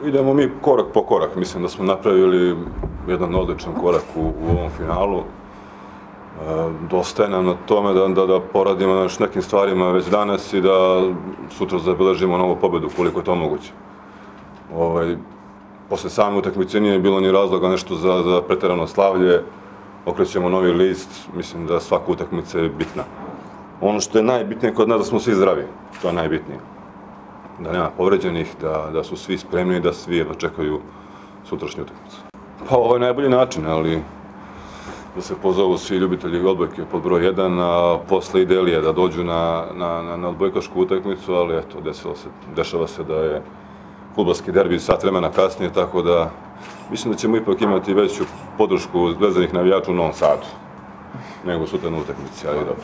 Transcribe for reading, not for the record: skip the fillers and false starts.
idemo mi korak po korak. Mislim da smo napravili jedan odličan korak u ovom finalu. Dosta je nam na tome da poradimo na još nekim stvarima već danas i da sutra zabeležimo novu pobedu, koliko je to moguće. Posle same utakmice nije bilo ni razloga nešto za preterano slavlje. Okrećemo novi list, mislim da svaka utakmica je bitna. Ono što je najbitnije kod nas da smo svi zdravi, to je najbitnije. Da nema povređenih, da su svi spremni i da svi jedva čekaju sutrašnju utakmicu. Pa ovo je najbolji način, ali da se pozovu svi ljubitelji odbojke pod broj 1, a posle idealije da dođu na odbojkašku utakmicu, ali eto, dešava se da je fudbalski derbi sat vremena kasnije, tako da mislim da ćemo ipak imati veću podršku zvezdanih navijača u Novom Sadu nego sutra na utakmici, ali dobro.